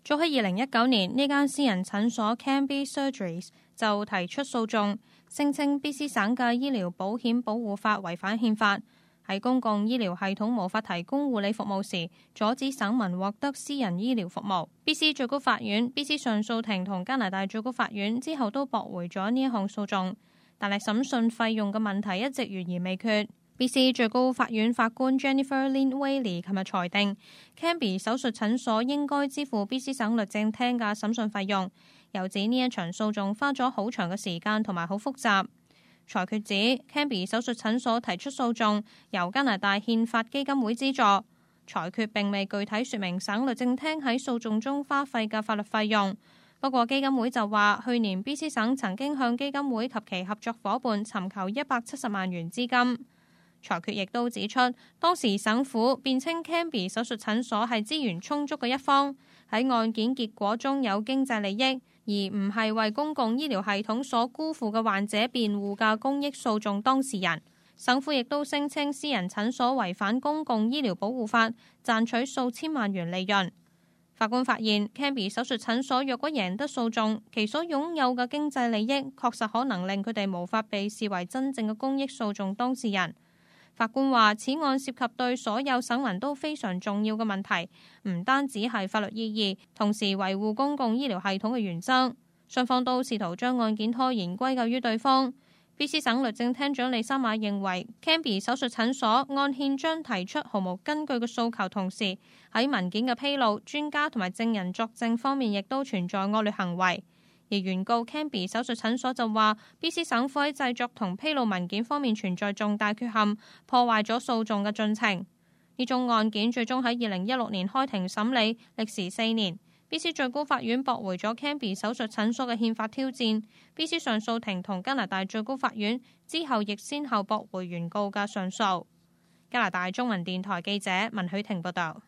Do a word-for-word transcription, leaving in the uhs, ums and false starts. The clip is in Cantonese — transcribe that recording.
早喺二零一九年，呢間私人診所 Cambie Surgeries 就提出訴訟，聲稱 B C 省嘅醫療保險保護法違反憲法，喺公共醫療系統無法提供護理服務時，阻止省民獲得私人醫療服務。B C 最高法院、B C 上訴庭同加拿大最高法院之後都駁回咗呢一項訴訟，但係審訊費用嘅問題一直懸而未決。B C 最高法院法官 Jennifer Lynn Whaley 琴日裁定 Cambie 手術診所應該支付 B C 省律政廳嘅審訊費用，又指呢一場訴訟花咗好長嘅時間同埋好複雜。裁決指 Cambie 手術診所提出訴訟由加拿大憲法基金會資助，裁決並未具體說明省律政廳喺訴訟中花費嘅法律費用。不過基金會就話，去年 B C 省曾經向基金會及其合作夥伴尋求一百七十萬元資金。裁決亦都指出，當時省府辯稱 Cambie 手術診所係資源充足嘅一方，喺案件結果中有經濟利益，而唔係為公共醫療系統所辜負嘅患者辯護嘅公益訴訟當事人。省府亦都聲稱私人診所違反公共醫療保護法，賺取數千萬元利潤。法官發現 Cambie 手術診所若果贏得訴訟，其所擁有嘅經濟利益確實可能令佢哋無法被視為真正嘅公益訴訟當事人。法官話：此案涉及對所有省民都非常重要嘅問題，唔單止係法律意義，同時維護公共醫療系統嘅原則。雙方都試圖將案件拖延歸咎於對方。B C 省律政廳長李沙馬認為 Cambie 手術診所按憲章提出毫無根據嘅訴求，同時喺文件嘅披露、專家同埋證人作證方面亦都存在惡劣行為。而原告 Cambie 手術診所就話 B C 省府喺製作同披露文件方面存在重大缺陷，破壞咗訴訟嘅進程。呢宗案件最終喺二零一六年開庭審理，歷時四年。B C 最高法院駁回咗 Cambie 手術診所嘅憲法挑戰， B C 上訴庭同加拿大最高法院之後亦先後駁回原告嘅上訴。加拿大中文電台記者文許婷報道。